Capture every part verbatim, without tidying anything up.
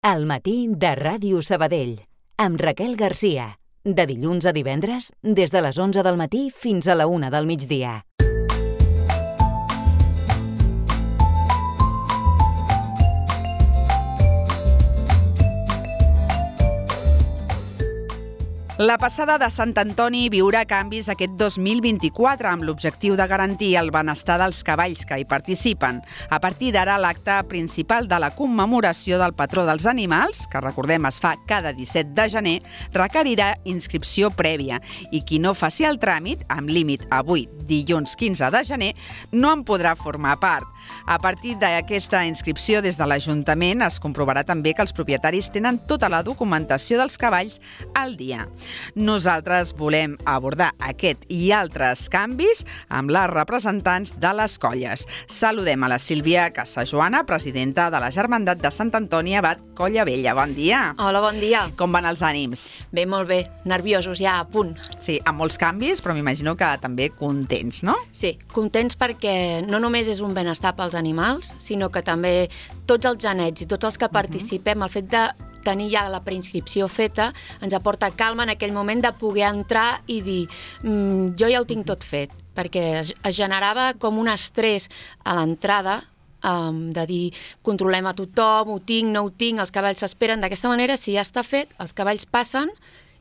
Al matí de Ràdio Sabadell, amb Raquel Garcia. De dilluns a divendres, des de les onze del matí fins a la una del migdia. La passada de Sant Antoni viurà canvis aquest dos mil vint-i-quatre amb l'objectiu de garantir el benestar dels cavalls que hi participen. A partir d'ara, l'acte principal de la commemoració del patró dels animals, que recordem es fa cada disset de gener, requerirà inscripció prèvia i qui no faci el tràmit, amb límit avui, dilluns quinze de gener, no en podrà formar part. A partir d'aquesta inscripció des de l'Ajuntament es comprovarà també que els propietaris tenen tota la documentació dels cavalls al dia. Nosaltres volem abordar aquest i altres canvis amb les representants de les colles. Saludem a la Sílvia Casajoana, presidenta de la Germandat de Sant Antoni Abat Colla Vella. Bon dia. Hola, bon dia. Com van els ànims? Bé, molt bé. Nerviosos, ja a punt. Sí, amb molts canvis, però m'imagino que també contents, no? Sí, contents perquè no només és un benestar pels animals, sinó que també tots els genets i tots els que participem, uh-huh. el fet de tenir ja la preinscripció feta ens aporta calma en aquell moment de poder entrar i dir mmm, jo ja ho tinc tot fet, perquè es, es generava com un estrès a l'entrada um, de dir controlem a tothom, ho tinc, no ho tinc, els cavalls s'esperen. D'aquesta manera, si ja està fet, els cavalls passen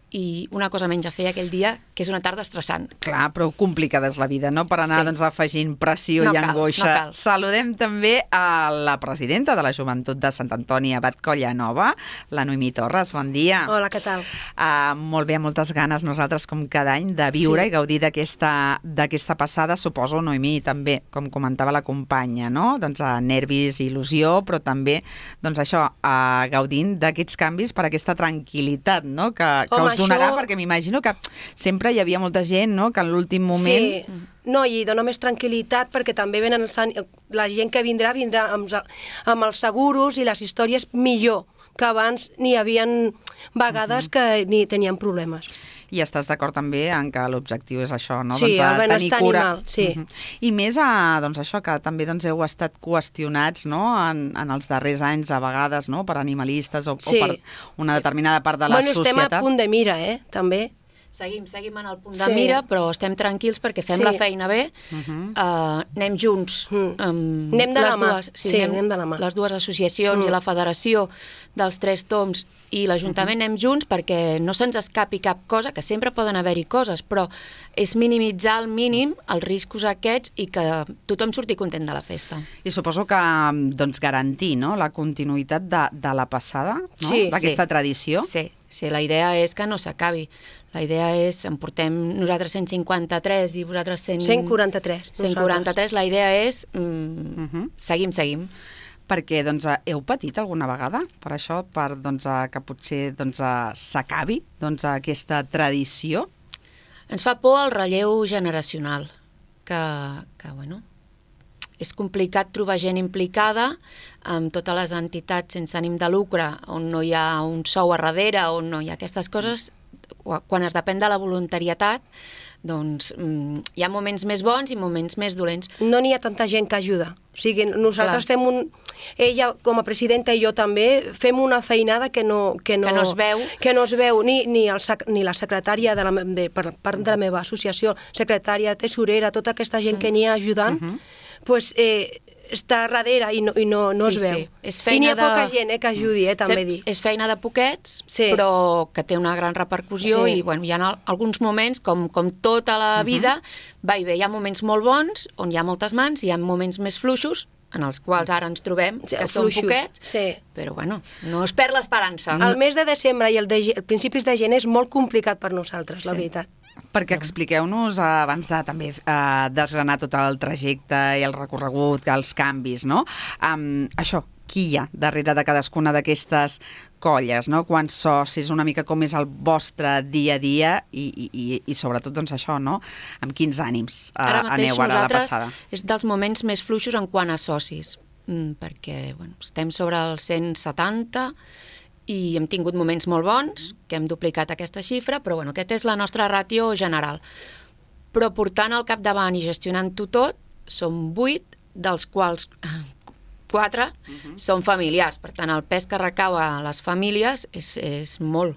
i una cosa menys a fer aquell dia, que és una tarda estressant. Clar, però complicada és la vida, no? Per anar sí. doncs, afegint pressió no i cal, angoixa. No cal. Saludem també a la presidenta de la Joventut de Sant Antoni Abat Colla Nova, la Noemí Torres. Bon dia. Hola, què tal? Uh, molt bé, moltes ganes nosaltres, com cada any, de viure sí. i gaudir d'aquesta d'aquesta passada. Suposo, Noemí, també, com comentava la companya, no? Doncs uh, nervis, il·lusió, però també, doncs això, uh, gaudint d'aquests canvis per aquesta tranquil·litat, no? Que, que Home, us donarà, això... perquè m'imagino que sempre hi havia molta gent, no?, que en l'últim moment... Sí, no, i dona més tranquil·litat perquè també venen els, la gent que vindrà vindrà amb, amb els seguros i les històries millor, que abans n'hi havien vegades uh-huh. que ni tenien problemes. I estàs d'acord també en que l'objectiu és això, no? Sí, doncs, el benestar animal, sí. Uh-huh. I més a, doncs això, que també doncs, heu estat qüestionats, no?, en, en els darrers anys, a vegades, no?, per animalistes o, sí. o per una determinada part de la bueno, societat. Bueno, estem a punt de mira, eh?, també. Seguim, seguim en el punt de sí. mira, però estem tranquils perquè fem sí. la feina bé, uh-huh. uh, anem junts. Uh-huh. Um, anem de la mà. Dues, sí, sí, anem, anem de la mà. Les dues associacions uh-huh. i la Federació dels Tres Toms i l'Ajuntament uh-huh. anem junts perquè no se'ns escapi cap cosa, que sempre poden haver-hi coses, però és minimitzar al mínim els riscos aquests i que tothom surti content de la festa. I suposo que doncs, garantir, no?, la continuïtat de, de la passada, no?, sí, d'aquesta sí. tradició. Sí, sí, la idea és que no s'acabi. La idea és, en portem nosaltres cent cinquanta-tres i vosaltres cent... cent quaranta-tres. cent quaranta-tres, la idea és mm, uh-huh. seguim, seguim. Perquè doncs, heu patit alguna vegada per això, per doncs, que potser doncs, s'acabi doncs, aquesta tradició? Ens fa por el relleu generacional, que, que bueno, és complicat trobar gent implicada amb totes les entitats sense ànim de lucre, on no hi ha un sou a darrere, on no hi ha aquestes coses. Quan es depèn de la voluntarietat, doncs mm, hi ha moments més bons i moments més dolents. No n'hi ha tanta gent que ajuda. O sigui, nosaltres Clar. fem un... Ella, com a presidenta, i jo també, fem una feinada que no... Que no, que no es veu. Que no es veu, ni, ni, el, ni la secretària de la, de, per part de la meva associació, secretària, tesorera, tota aquesta gent que n'hi ha ajudant, uh-huh. pues, eh, està darrere i no, i no, no sí, es veu. Sí. És I n'hi ha de... poca gent eh, que ajudi, eh, també sí, dir. És feina de poquets, sí. però que té una gran repercussió sí. i bueno, hi ha alguns moments, com, com tota la vida, uh-huh. va i bé, hi ha moments molt bons, on hi ha moltes mans, hi ha moments més fluixos, en els quals ara ens trobem, sí, que són poquets, sí. però bueno, no es perd l'esperança. El mes de desembre i el, de, el principis de gener és molt complicat per nosaltres, sí. la veritat. Perquè expliqueu-nos, eh, abans de també eh, desgranar tot el trajecte i el recorregut, els canvis, no? Um, això, qui hi ha darrere de cadascuna d'aquestes colles, no? Quants socis, una mica com és el vostre dia a dia i, i, i sobretot, doncs això, no? Amb quins ànims eh, ara aneu ara a la passada? És dels moments més fluixos en quant a socis, mm, perquè bueno, estem sobre els cent setanta i hem tingut moments molt bons, que hem duplicat aquesta xifra, però bueno, aquesta és la nostra ràtio general. Però portant al capdavant i gestionant-ho tot, som vuit, dels quals quatre uh-huh. són familiars. Per tant, el pes que recau a les famílies és, és molt.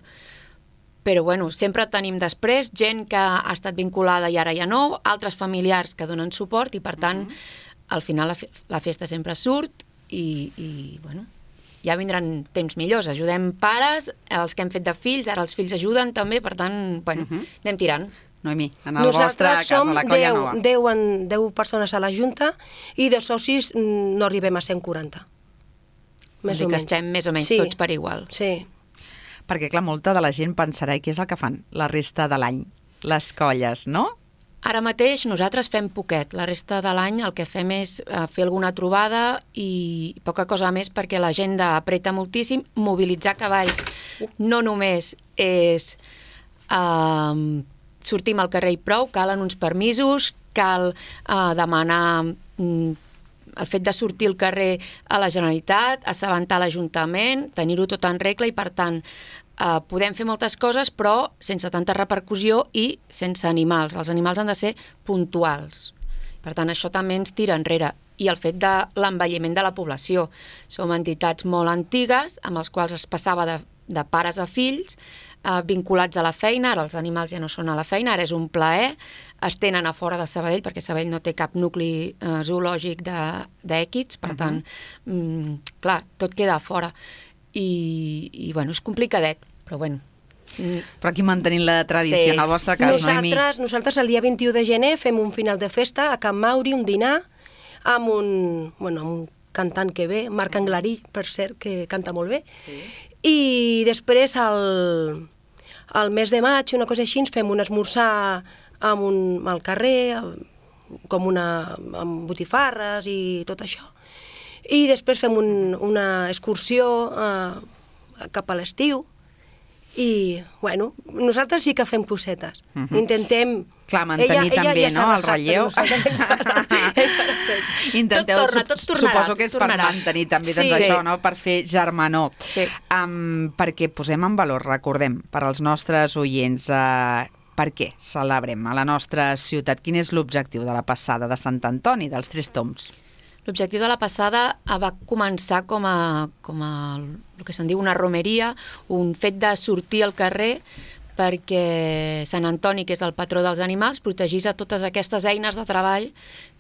Però, bueno, sempre tenim després gent que ha estat vinculada i ara ja no, altres familiars que donen suport i, per tant, uh-huh. al final la, fe la festa sempre surt i, i, bueno, ja vindran temps millors. Ajudem pares, els que hem fet de fills, ara els fills ajuden també, per tant, bueno, uh-huh. anem tirant. Noemí, en el vostre cas, a la Colla Nova. Nosaltres som deu persones a la Junta i de socis no arribem a cent quaranta. Més o menys. Que estem més o menys sí. tots per igual. Sí. Perquè, clar, molta de la gent pensarà què és el que fan la resta de l'any, les colles, no? Ara mateix nosaltres fem poquet. La resta de l'any el que fem és fer alguna trobada i poca cosa més perquè l'agenda apreta moltíssim. Mobilitzar cavalls no només és eh, sortim al carrer i prou, calen uns permisos, cal eh, demanar mm, el fet de sortir al carrer a la Generalitat, assabentar l'Ajuntament, tenir-ho tot en regla i, per tant, eh, podem fer moltes coses, però sense tanta repercussió i sense animals. Els animals han de ser puntuals. Per tant, això també ens tira enrere. I el fet de l'envelliment de la població. Som entitats molt antigues, amb els quals es passava de, de pares a fills, eh, vinculats a la feina, ara els animals ja no són a la feina, ara és un plaer, es tenen a fora de Sabadell, perquè Sabadell no té cap nucli eh, zoològic d'èquids, per uh-huh. tant, mm, clar, tot queda a fora. I, i bueno, és complicadet, però bueno. Mm. Però aquí mantenint la tradició, sí. en el vostre cas, nosaltres, Noemí. Nosaltres el dia vint-i-u de gener fem un final de festa a Can Mauri, un dinar, amb un, bueno, amb un cantant que ve, Marc Anglari, per cert, que canta molt bé. Sí. I després, al, al mes de maig, una cosa així, ens fem un esmorzar amb un, al carrer, com una, amb botifarres i tot això. I després fem un, una excursió eh, cap a l'estiu i, bueno, nosaltres sí que fem cosetes. Uh-huh. Intentem... Clar, mantenir ella, també, ella ja no?, el relleu. Intenteu, tot torna, tot tornarà, suposo que és per mantenir també sí, doncs, sí. això, no?, per fer germanor. Sí. Um, perquè posem en valor, recordem, per als nostres oients, uh, per què celebrem a la nostra ciutat? Quin és l'objectiu de la passada de Sant Antoni, dels Tres Tombs? L'objectiu de la passada va començar com a, com a el que se'n diu una romeria, un fet de sortir al carrer perquè Sant Antoni, que és el patró dels animals, protegís a totes aquestes eines de treball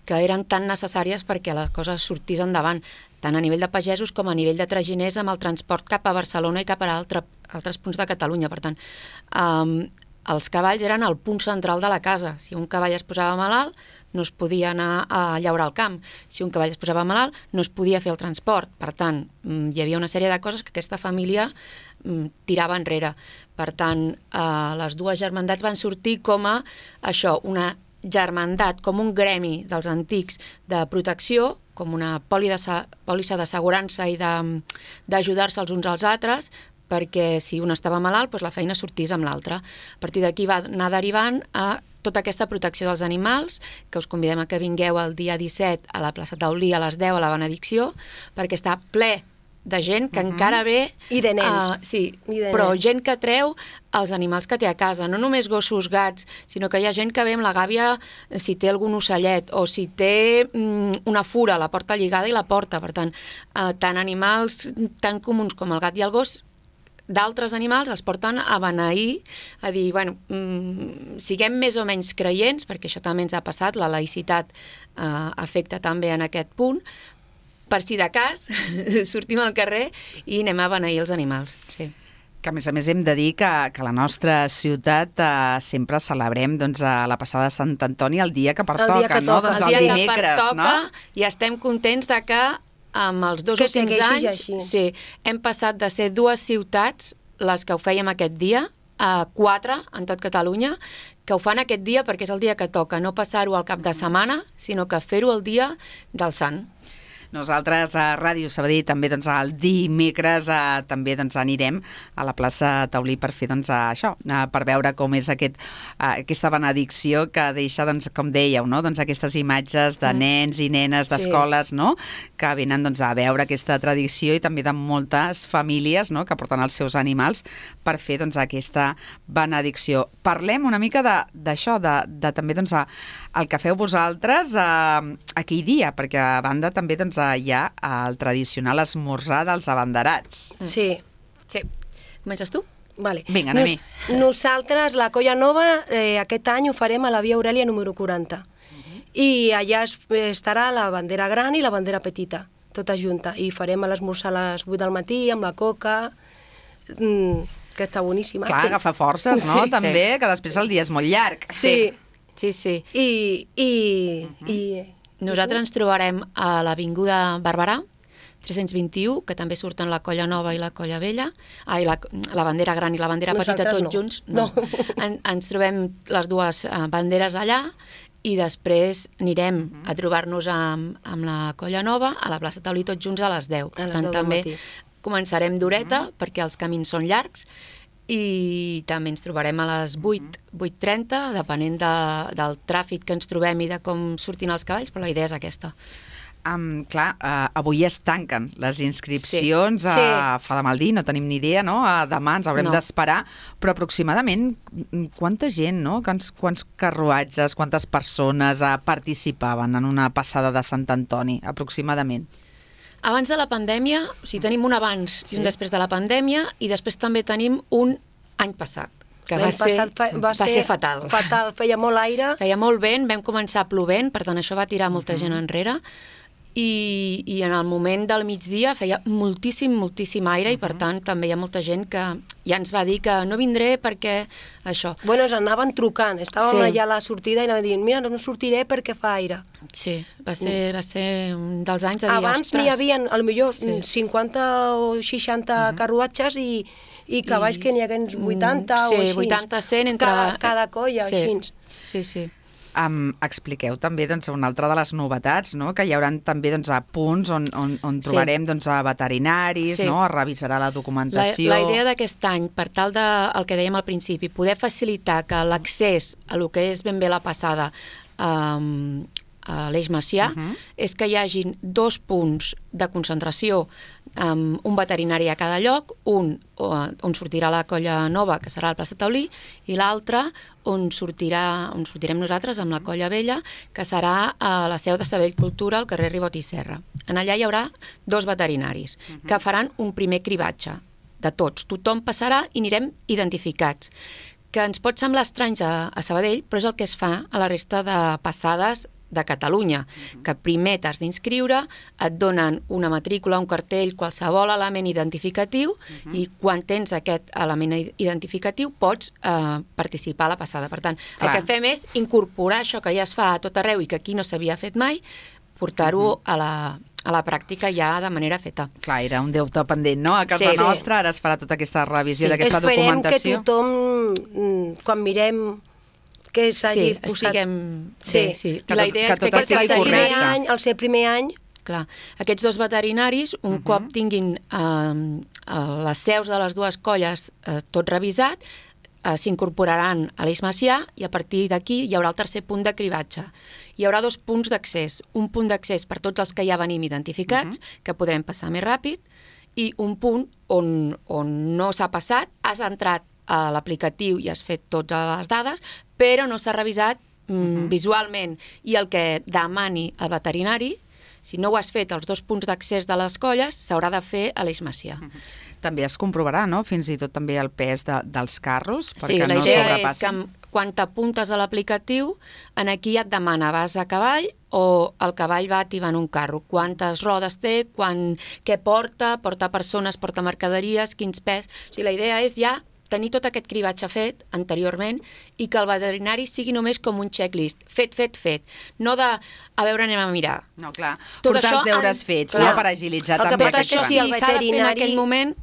que eren tan necessàries perquè les coses sortís endavant, tant a nivell de pagesos com a nivell de traginers amb el transport cap a Barcelona i cap a altre, altres punts de Catalunya. Per tant, um, els cavalls eren el punt central de la casa. Si un cavall es posava malalt, no es podia anar a llaurar al camp. Si un cavall es posava malalt, no es podia fer el transport. Per tant, hi havia una sèrie de coses que aquesta família tirava enrere. Per tant, eh, les dues germandats van sortir com a això, una germandat, com un gremi dels antics de protecció, com una pòlissa d'assegurança i d'ajudar-se els uns als altres, perquè si un estava malalt, doncs la feina sortís amb l'altre. A partir d'aquí va anar derivant a tota aquesta protecció dels animals, que us convidem a que vingueu el dia disset a la plaça Taulí a les deu a la benedicció, perquè està ple de gent que uh-huh. encara ve... I de nens. Uh, sí, I de però nens. gent que treu els animals que té a casa, no només gossos, gats, sinó que hi ha gent que ve amb la gàbia si té algun ocellet o si té mm, una fura, la porta lligada i la porta. Per tant, uh, tant animals tan comuns com el gat i el gos, d'altres animals els porten a beneir, a dir, bueno, mm, siguem més o menys creients, perquè això també ens ha passat, la laïcitat eh, afecta també en aquest punt, per si de cas sortim al carrer i anem a beneir els animals. Sí. Que a més a més hem de dir que, que a la nostra ciutat eh, sempre celebrem doncs, a la passada de Sant Antoni el dia que pertoca, el dia que no? toca. Doncs el el dia dimecres, que pertoca, no? I estem contents de que amb els dos que últims anys sí, hem passat de ser dues ciutats, les que ho fèiem aquest dia, a quatre en tot Catalunya, que ho fan aquest dia perquè és el dia que toca, no passar-ho al cap de setmana, sinó que fer-ho el dia del Sant. Nosaltres a Ràdio Sabadell també doncs, el dimecres eh, també doncs, anirem a la plaça Taulí per fer doncs, això, eh, per veure com és aquest, eh, aquesta benedicció que deixa, doncs, com dèieu, no? doncs, aquestes imatges de nens i nenes d'escoles, sí. no? que venen doncs, a veure aquesta tradició i també de moltes famílies, no? que porten els seus animals per fer doncs, aquesta benedicció. Parlem una mica d'això, de, de, de també doncs, el que feu vosaltres eh, aquell dia, perquè a banda també doncs, uh, ja al tradicional esmorzar dels abanderats. Sí. Sí. Comences tu? Vale. Vinga, anem-hi. Nos, nosaltres, la Colla Nova, eh, aquest any ho farem a la Via Aurèlia número quaranta. Uh-huh. I allà es, estarà la bandera gran i la bandera petita, tota junta. I farem l'esmorzar a les vuit del matí amb la coca, mm, que està boníssima. Clar, agafa forces, no? Sí, També, sí. que després el dia és molt llarg. Sí. Sí, sí. I, i, uh-huh. i... Nosaltres ens trobarem a l'Avinguda Barberà, tres-cents vint-i-u, que també surten la Colla Nova i la Colla Vella, ah, i la, la bandera gran i la bandera Nosaltres petita tots no. junts. No. No. En, ens trobem les dues uh, banderes allà i després anirem uh -huh. a trobar-nos amb, amb la Colla Nova a la plaça Taulí tots junts a les deu. A les Tant, deu del també matí. començarem d'horeta, uh -huh. perquè els camins són llargs, i també ens trobarem a les vuit, vuit trenta, depenent de, del tràfic que ens trobem i de com sortin els cavalls, però la idea és aquesta. Um, clar, uh, avui es tanquen les inscripcions, Sí. uh, Sí. fa de mal dir, no tenim ni idea, no? Uh, demà ens haurem No. d'esperar, però aproximadament quanta gent, no? Quants, quants carruatges, quantes persones uh, participaven en una passada de Sant Antoni, aproximadament? Abans de la pandèmia, o sigui, tenim un abans sí. i un després de la pandèmia, i després també tenim un any passat, que va L'any ser, passat fa- va ser fatal. Fatal, feia molt aire. Feia molt vent, vam començar plovent, per tant això va tirar molta gent enrere, i, i en el moment del migdia feia moltíssim, moltíssim aire, i per tant també hi ha molta gent que ja ens va dir que no vindré perquè això. Bueno, ens anaven trucant, estàvem Sí. allà a la sortida i anaven dient, mira, no sortiré perquè fa aire. Sí, va ser, va ser un dels anys de dir, Abans ostres. n'hi havia, potser Sí. cinquanta o seixanta uh -huh. carruatges i, i cavalls I- que n'hi hagués vuitanta Mm, sí, o així. vuitanta, cent entre... Cada, cada colla, sí. així. Sí, sí. Um, expliqueu també doncs, una altra de les novetats, no? Que hi haurà també doncs, a punts on, on, on trobarem Sí. doncs, a veterinaris, Sí. no? Es revisarà la La, documentació. la idea d'aquest any, per tal de, el que dèiem al principi, poder facilitar que l'accés a lo que és ben bé la passada um, a l'Eix Macià, Uh -huh. és que hi hagin dos punts de concentració, amb un veterinari a cada lloc, un on sortirà la Colla Nova, que serà la plaça Taulí, i l'altre on, sortirà, on sortirem nosaltres amb la Colla Vella, que serà a la seu de Sabell Cultura, al carrer Ribot i Serra. En allà hi haurà dos veterinaris uh -huh. que faran un primer cribatge de tots. Tothom passarà i anirem identificats, que ens pot semblar estrany a, a Sabadell, però és el que es fa a la resta de passades de Catalunya, uh-huh. que primer t'has d'inscriure, et donen una matrícula, un cartell, qualsevol element identificatiu, uh-huh. i quan tens aquest element identificatiu pots eh, participar a la passada. Per tant, Clar. el que fem és incorporar això que ja es fa a tot arreu i que aquí no s'havia fet mai, portar-ho uh-huh. a la a la pràctica ja de manera feta. Clar, era un deute pendent, no? A casa Sí, sí. nostra ara es farà tota aquesta revisió Sí. d'aquesta documentació. Esperem que tothom, quan mirem que s'hagi Sí, posat... estiguem... Sí. Sí, sí. Que I la tot- idea que és que tot aquests estigui el primer correcte. veterinaris... any, el ser primer any, Clar, aquests dos veterinaris, un uh -huh. cop tinguin eh, les seus de les dues colles eh, tot revisat, eh, s'incorporaran a l'Eix Macià, i a partir d'aquí hi haurà el tercer punt de cribatge. Hi haurà dos punts d'accés. Un punt d'accés per tots els que ja venim identificats, uh -huh. que podrem passar més ràpid, i un punt on, on no s'ha passat, has entrat a l'aplicatiu i has fet totes les dades, però no s'ha revisat mm, uh -huh. visualment, i el que demani el veterinari, si no ho has fet als dos punts d'accés de les colles, s'haurà de fer a l'Eix Macià. Uh -huh. També es comprovarà, no?, fins i tot també el pes de, dels carros, Sí, perquè la no idea és sobrepassin. que quan t'apuntes a l'aplicatiu, en aquí et demana, vas a cavall o el cavall va tibant un carro, quantes rodes té, quan, què porta, porta persones, porta mercaderies, quins pes... O sigui, la idea és ja tenir tot aquest cribatge fet anteriorment i que el veterinari sigui només com un checklist, fet, fet, fet, no de, a veure, anem a mirar. No, clar, Tot portar això els deures en- fets, clar. no?, per agilitzar El que també Tot passa aquest és això, que si si el s'ha de fer en veterinari- aquell moment,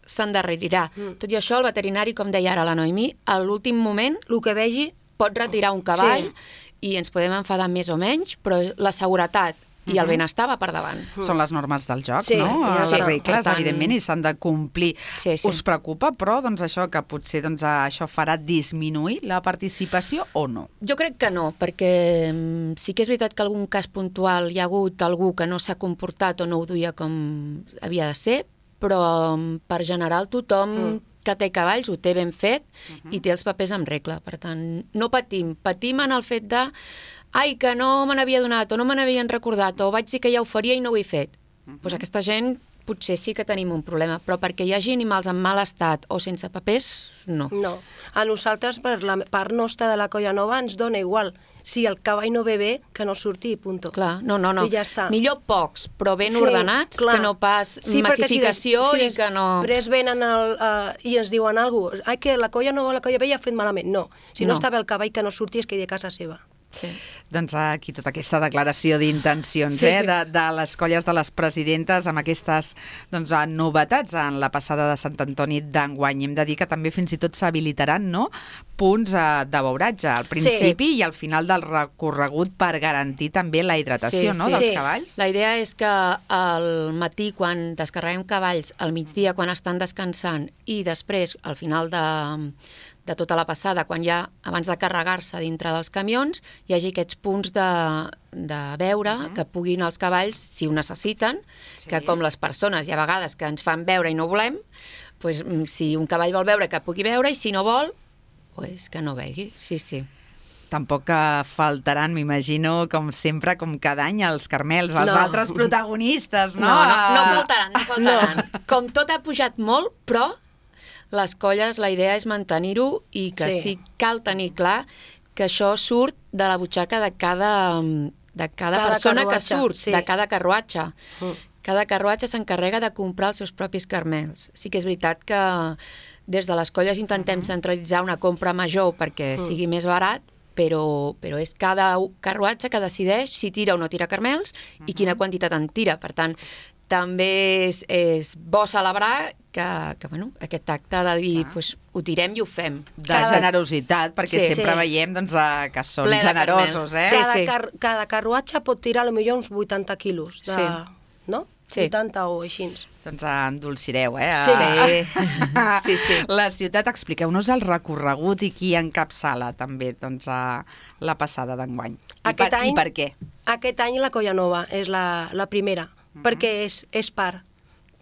s'endarrerirà. Mm. Tot i això, el veterinari, com deia ara la Noemí, a l'últim moment el que vegi, pot retirar un cavall Sí. i ens podem enfadar més o menys, però la seguretat i el benestar va per davant. Són les normes del joc, Sí, no? ja Les està. regles, Per tant- evidentment, i s'han de complir. Sí, sí. Us preocupa, però, doncs, això, que potser doncs, això farà disminuir la participació o no? Jo crec que no, perquè mm, sí que és veritat que algun cas puntual hi ha hagut algú que no s'ha comportat o no ho duia com havia de ser, però mm, per general tothom mm. que té cavalls ho té ben fet uh -huh. i té els papers en regla. Per tant, no patim. Patim en el fet de ai, que no me n'havia donat o no me n'havien recordat o vaig dir que ja ho faria i no ho he fet. Uh -huh. Doncs aquesta gent potser sí que tenim un problema, però perquè hi hagi animals en mal estat o sense papers, no. No. A nosaltres, per la part nostra de la Colla Nova, ens dona igual. Si el cavall no ve bé, que no surti, punto. Clar, no, no, no. I ja està. Millor pocs, però ben Sí, ordenats, clar. que no pas Sí, massificació si des, si i que no... després venen el, uh, i ens diuen alguna cosa, ai, que la Colla Nova, la Colla Vella ha fet malament. No, si no, No. està bé el cavall que no surti és que hi de casa seva. Sí. Doncs aquí tota aquesta declaració d'intencions Sí. eh, de, de les colles de les presidentes amb aquestes doncs, novetats en la passada de Sant Antoni d'enguany. Hem de dir que també fins i tot s'habilitaran, no?, punts eh, de beuratge al principi sí. i al final del recorregut per garantir també la hidratació Sí, no, sí. dels Sí. cavalls. La idea és que al matí, quan descarreguem cavalls, al migdia, quan estan descansant, i després, al final de, de tota la passada, quan ja, abans de carregar-se dintre dels camions, hi hagi aquests punts de, de beure, uh -huh. que puguin els cavalls, si ho necessiten, Sí. que com les persones, hi ha vegades que ens fan beure i no volem, doncs, si un cavall vol beure, que pugui beure, i si no vol, pues que no begui, sí, sí. Tampoc que faltaran, m'imagino, com sempre, com cada any, els carmels, els No. altres protagonistes, no? No, no, no faltaran, no faltaran. No. Com tot ha pujat molt, però les colles, la idea és mantenir-ho i que sí. Sí. sí cal tenir clar que això surt de la butxaca de cada, de cada, Cada persona carruatge, que surt, sí. de cada carruatge. Mm. Cada carruatge s'encarrega de comprar els seus propis carmels. Sí que és veritat que des de les colles intentem uh-huh. centralitzar una compra major perquè Mm. sigui més barat, però, però és cada carruatge que decideix si tira o no tira carmels uh-huh. i quina quantitat en tira. Per tant, també és, és bo celebrar que, que bueno, aquest acte de dir pues, ho tirem i ho fem. De Cada- generositat, perquè Sí. sempre Sí. veiem doncs, eh, que són Ple de generosos, carmels. eh? Sí, Cada, sí. car cada carruatge pot tirar potser uns vuitanta quilos, de, Sí. no? Sí. vuitanta o així. Doncs endolcireu, eh? Sí. Sí, sí. La ciutat, expliqueu-nos el recorregut i qui encapçala també doncs, a la passada d'enguany. I, Aquest per, any- I per què? Aquest any la Colla Nova és la, la primera, uh -huh. perquè és, és par,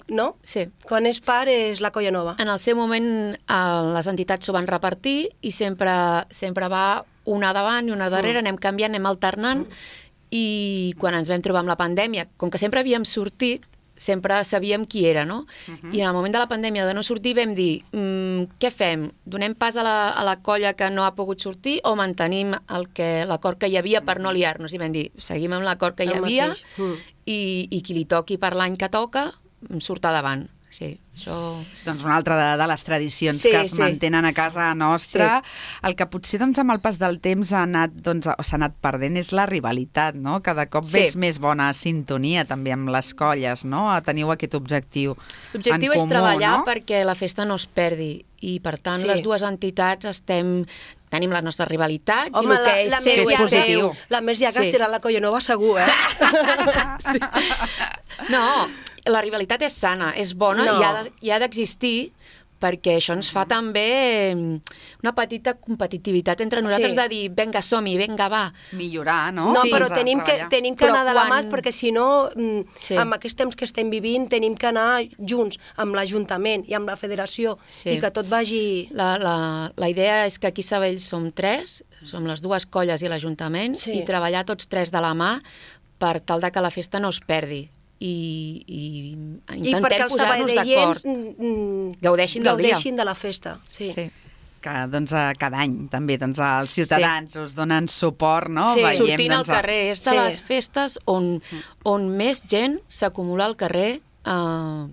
no? Sí. Quan és par és la Colla Nova. En el seu moment eh, les entitats s'ho van repartir i sempre, sempre va una davant i una darrere, mm. anem canviant, anem alternant, mm. i quan ens vam trobar amb la pandèmia, com que sempre havíem sortit, sempre sabíem qui era, no? Uh-huh. I en el moment de la pandèmia de no sortir vam dir, mm, què fem? Donem pas a la, a la colla que no ha pogut sortir o mantenim el que l'acord que hi havia per no liar-nos? I vam dir, seguim amb l'acord que hi El havia mateix. Mm. i, i qui li toqui per l'any que toca surt davant. Sí, això... Doncs una altra de, de les tradicions Sí, que es sí. mantenen a casa nostra. Sí. El que potser doncs, amb el pas del temps ha anat, doncs, s'ha anat perdent és la rivalitat, no? Cada cop Sí. veig més bona sintonia també amb les colles, no? Teniu aquest objectiu L'objectiu en és comú, treballar no? perquè la festa no es perdi i, per tant, Sí. les dues entitats estem... Tenim les nostres rivalitats Home, i el que la, és la seu més és és positiu. seu. La més llarga Sí. serà la Colla Nova, segur, eh? Sí. No, la rivalitat és sana, és bona No. i ha de- i ha d'existir perquè això ens fa també una petita competitivitat entre nosaltres Sí. de dir, vinga, som-hi, vinga, va. Millorar, no? No, Sí. però Doncs a tenim que, treballar. tenim que Però anar de la mà, quan- perquè si no, mm, Sí. amb aquests temps que estem vivint, tenim que anar junts amb l'Ajuntament i amb la Federació Sí. i que tot vagi... La, la, la idea és que aquí a Sabadell som tres, som les dues colles i l'Ajuntament, Sí. i treballar tots tres de la mà per tal de que la festa no es perdi. I, i I intentem perquè els posar-nos d'acord. sabadellens mm, Gaudeixin del dia. gaudeixin de la festa. Sí. Sí. Que doncs, a cada any també doncs, els ciutadans sí. us donen suport, no? Sí. Veiem, Sortint al doncs, a- carrer. És de Sí. les festes on, on més gent s'acumula al carrer eh,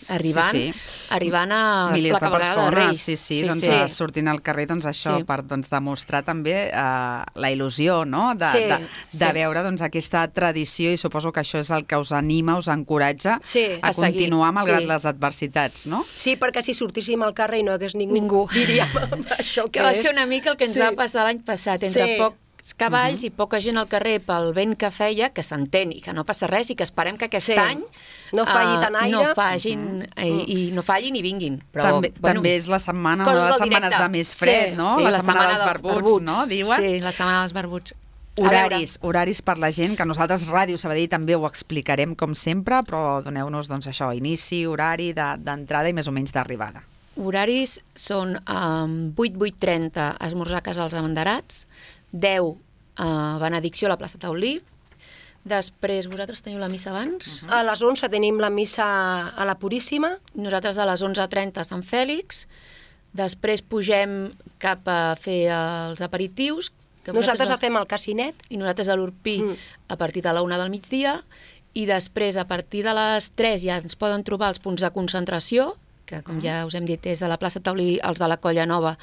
arribant, Sí, sí. arribant a milers la de cabalgada persones, de Reis. sí, sí, sí, doncs sí. eh, sortint al carrer, doncs això, Sí. per doncs, demostrar també eh, la il·lusió, no?, de, Sí, de, de sí. veure doncs, aquesta tradició, i suposo que això és el que us anima, us encoratja Sí. a, A seguir, continuar malgrat sí. les adversitats, no? Sí, perquè si sortíssim al carrer i no hi hagués ningú, Ningú. diríem això Que va és. ser una mica el que ens Sí. va passar l'any passat, entre Sí. pocs cavalls i poca gent al carrer pel vent que feia, que s'entén i que no passa res i que esperem que aquest Sí. any No falli eh, tant aire. no fallin, eh, i, i no fallin i vinguin. Però, també, bueno, també és la setmana, coses una de les del setmanes directe. de més fred, Sí, no? Sí, la, setmana, dels barbuts, no? Diuen. Sí, la setmana dels barbuts. A Horaris, horaris per la gent, que nosaltres Ràdio Sabadell també ho explicarem com sempre, però doneu-nos doncs, això, inici, horari de- d'entrada i més o menys d'arribada. Horaris són um, vuit, vuit trenta esmorzar a casa als abanderats, deu uh, benedicció a la plaça Taulí. Després, vosaltres teniu la missa abans? A les onze tenim la missa a la Puríssima. Nosaltres a les onze trenta a Sant Fèlix. Després pugem cap a fer els aperitius. Que Nosaltres el fem al Casinet. I nosaltres a l'Urpí Mm. a partir de la una del migdia. I després, a partir de les tres, ja ens poden trobar els punts de concentració, que, com ja us hem dit, és a la plaça Taulí, els de la Colla Nova,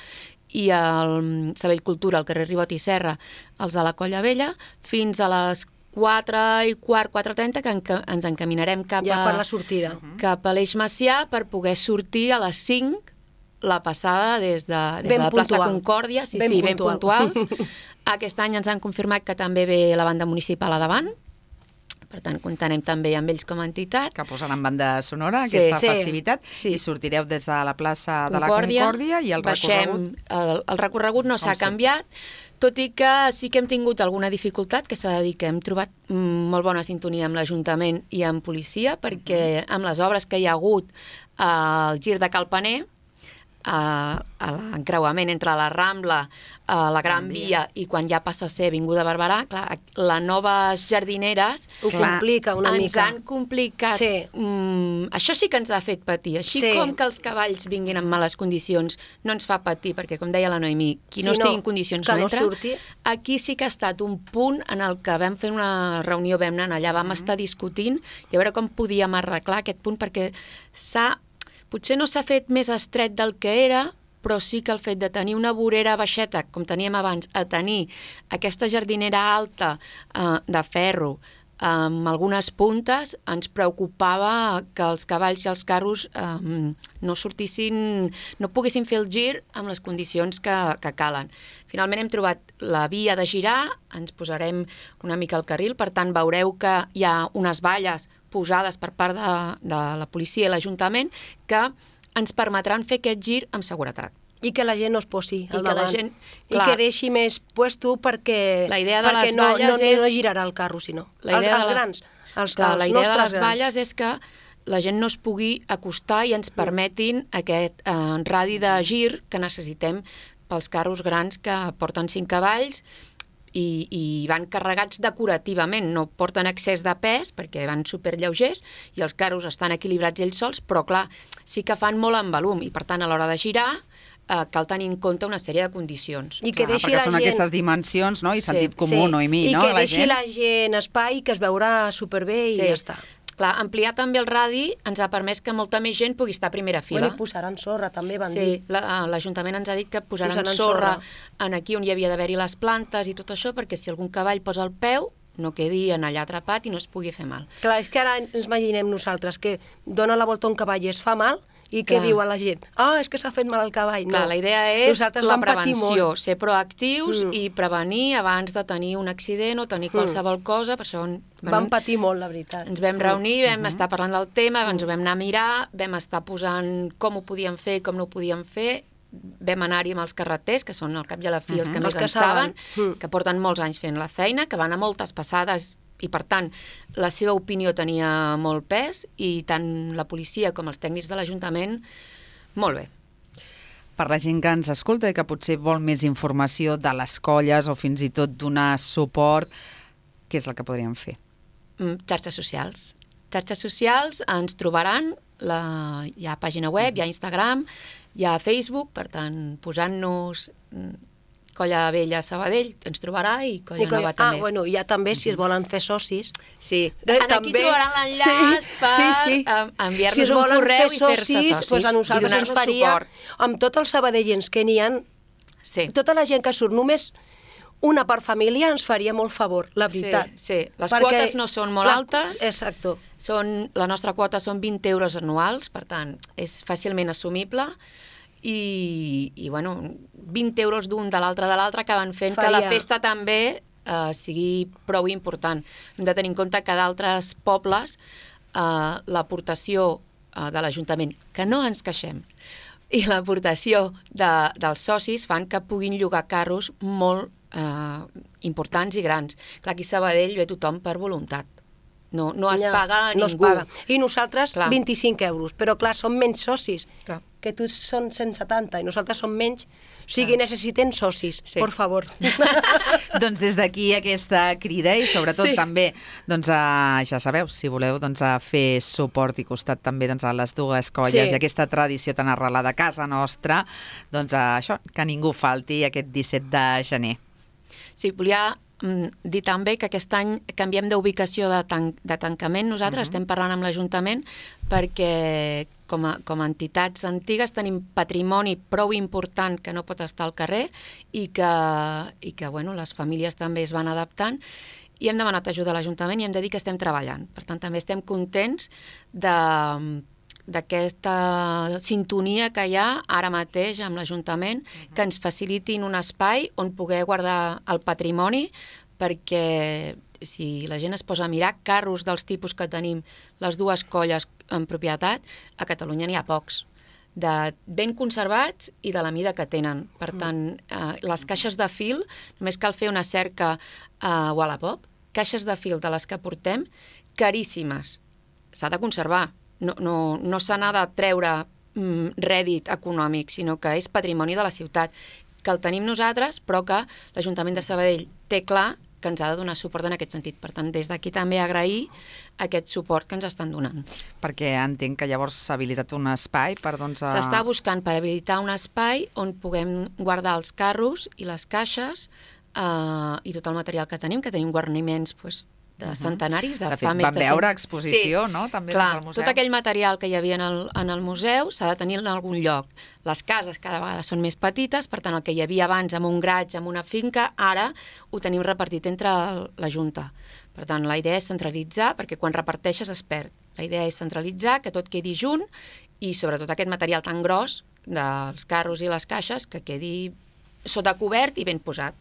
i al Sabell Cultura, al carrer Ribot i Serra, els de la Colla Vella, fins a les quatre i quart, quatre trenta, que enca ens encaminarem cap Ja a, per la sortida. cap a l'Eix Macià per poder sortir a les cinc la passada des de, des Ben de la plaça puntual. Concòrdia. Sí, Ben sí, ben puntual. puntuals. Aquest any ens han confirmat que també ve la banda municipal a davant. Per tant, comptarem també amb ells com a entitat. Que posaran banda sonora, Sí, aquesta sí. festivitat, Sí. i sortireu des de la plaça de la Concòrdia, Concòrdia i el baixem, recorregut... El, el recorregut no s'ha Com sempre. canviat, tot i que sí que hem tingut alguna dificultat, que s'ha de dir que hem trobat mm, molt bona sintonia amb l'Ajuntament i amb policia, perquè amb les obres que hi ha hagut al gir de Calpaner, a, a l'encreuament entre la Rambla, a la Gran Via i quan ja passa a ser Avinguda Barberà, clar, les noves jardineres Ho complica una ens mica. han complicat. Sí. Mm, això sí que ens ha fet patir. Així Sí. com que els cavalls vinguin en males condicions no ens fa patir, perquè com deia la Noemí, qui no Sí, estigui no, en condicions que no no entra. surti. Aquí sí que ha estat un punt en el que vam fer una reunió, vam anar allà, vam estar discutint i a veure com podíem arreglar aquest punt, perquè s'ha potser no s'ha fet més estret del que era, però sí que el fet de tenir una vorera baixeta, com teníem abans, a tenir aquesta jardinera alta eh, de ferro amb algunes puntes, ens preocupava que els cavalls i els carros eh, no sortissin, no poguessin fer el gir amb les condicions que, que calen. Finalment hem trobat la via de girar, ens posarem una mica al carril, per tant veureu que hi ha unes valles posades per part de, de la policia i l'Ajuntament que ens permetran fer aquest gir amb seguretat. I que la gent no es posi I al que la davant. gent- I clar. que deixi més puesto perquè, La idea de perquè les no, valles no, és- no girarà el carro, sinó. La Els, idea els de la- grans, els, Clar, els la idea de nostres les grans. valles és que la gent no es pugui acostar i ens permetin aquest eh, radi de gir que necessitem pels carros grans que porten cinc cavalls i, i van carregats decorativament, no porten excés de pes perquè van superlleugers i els carros estan equilibrats ells sols, però clar, sí que fan molt en volum i per tant a l'hora de girar eh, cal tenir en compte una sèrie de condicions. I que Clar, deixi perquè la són gent... aquestes dimensions, no? I Sí. sentit comú, sí. Noemí, I no? que La deixi gent... la gent espai, que es veurà superbé i ja està. Clar, ampliar també el radi ens ha permès que molta més gent pugui estar a primera fila. Bueno, i posaran sorra, també van Sí, dir. la- l'Ajuntament ens ha dit que posaran, Posaran sorra, sorra. en aquí on hi havia d'haver-hi les plantes i tot això, perquè si algun cavall posa el peu, no quedi en allà atrapat i no es pugui fer mal. Clar, és que ara ens imaginem nosaltres que dona la volta a un cavall i es fa mal, i què Clar. diu a la gent? Ah, és que s'ha fet mal al cavall. Clar, no. la idea és Nosaltres la vam patir prevenció, molt. ser proactius Mm. i prevenir abans de tenir un accident o tenir qualsevol cosa, per això Vam patir molt, la veritat. ens vam reunir, vam estar parlant del tema, ens ho vam anar a mirar, vam estar posant com ho podíem fer, com no ho podíem fer, vam anar-hi amb els carreters, que són al cap i a la fi els que Els més que en saben, saben. que porten molts anys fent la feina, que van a moltes passades i, per tant, la seva opinió tenia molt pes i tant la policia com els tècnics de l'Ajuntament, molt bé. Per la gent que ens escolta i que potser vol més informació de les colles o fins i tot donar suport, què és el que podríem fer? Mm, Xarxes socials. Xarxes socials ens trobaran, la, hi ha pàgina web, hi ha Instagram, hi ha Facebook, per tant, posant-nos mm, Colla Vella Sabadell, ens trobarà, i Colla I Nova ah, també. bueno, ja també, si es volen fer socis... Sí, Eh, en aquí també. trobaran l'enllaç Sí, per sí, sí. em- enviar-nos si es un volen correu fer i fer-se socis, doncs a i nosaltres ens donar-nos faria, suport. amb tots els sabadellens que n'hi ha, Sí. tota la gent que surt només una per família ens faria molt favor, la veritat. Sí, sí. Les Perquè quotes no són molt les- altes. Exacto. Són, la nostra quota són vint euros anuals, per tant, és fàcilment assumible, i, i bueno, vint euros d'un de l'altre de l'altre acaben fent Faria. que la festa també eh, sigui prou important. Hem de tenir en compte que d'altres pobles eh, l'aportació eh, de l'Ajuntament, que no ens queixem, i l'aportació de, dels socis fan que puguin llogar carros molt eh, importants i grans. Clar, aquí a Sabadell ve tothom per voluntat. No, no es Ja, paga a no ningú. es paga. I nosaltres Clar. vint-i-cinc euros, però clar, som menys socis. Clar. que tu són cent setanta i nosaltres som menys, o sigui, necessiten socis, Sí. por favor. Doncs des d'aquí aquesta crida i sobretot Sí. també, doncs, a, ja sabeu, si voleu doncs, a fer suport i costat també doncs, a les dues colles Sí. i aquesta tradició tan arrelada a casa nostra, doncs a això, que ningú falti aquest disset de gener. Sí, volia mm, dir també que aquest any canviem d'ubicació de, tan de tancament. Nosaltres uh -huh. estem parlant amb l'Ajuntament perquè com a, com a entitats antigues tenim patrimoni prou important que no pot estar al carrer i que, i que bueno, les famílies també es van adaptant i hem demanat ajuda a l'Ajuntament i hem de dir que estem treballant. Per tant, també estem contents de d'aquesta sintonia que hi ha ara mateix amb l'Ajuntament, uh-huh. que ens facilitin un espai on poder guardar el patrimoni, perquè si la gent es posa a mirar carros dels tipus que tenim les dues colles en propietat, a Catalunya n'hi ha pocs, de ben conservats i de la mida que tenen. Per tant, eh, les caixes de fil, només cal fer una cerca a Wallapop, caixes de fil de les que portem, caríssimes. S'ha de conservar. No, no, no se n'ha de treure mm, rèdit econòmic, sinó que és patrimoni de la ciutat, que el tenim nosaltres, però que l'Ajuntament de Sabadell té clar que ens ha de donar suport en aquest sentit. Per tant, des d'aquí també agrair aquest suport que ens estan donant. Perquè entenc que llavors s'ha habilitat un espai per, doncs... A... S'està buscant per habilitar un espai on puguem guardar els carros i les caixes eh, i tot el material que tenim, que tenim guarniments doncs, de centenaris, de, de fet, fa més vam de veure cent... exposició, sí. no? També Clar, doncs, al museu. tot aquell material que hi havia en el, en el museu s'ha de tenir en algun lloc. Les cases cada vegada són més petites, per tant, el que hi havia abans amb un graig, amb una finca, ara ho tenim repartit entre la Junta. Per tant, la idea és centralitzar, perquè quan reparteixes es perd. La idea és centralitzar, que tot quedi junt, i sobretot aquest material tan gros dels carros i les caixes, que quedi sota cobert i ben posat.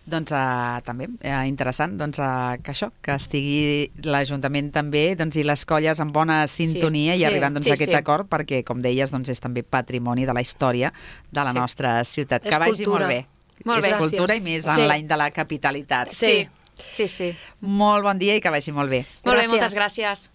Doncs uh, també, uh, interessant, doncs, uh, que això, que estigui l'Ajuntament també doncs, i les colles en bona sintonia Sí, i sí, arribant doncs, sí, a aquest sí. acord, perquè, com deies, doncs, és també patrimoni de la història de la Sí. nostra ciutat. És Que vagi cultura. molt bé. Molt bé. És cultura i més en Sí. l'any de la capitalitat. Sí, sí, sí. Molt bon dia i que vagi molt bé. Molt bé, Gràcies. moltes gràcies.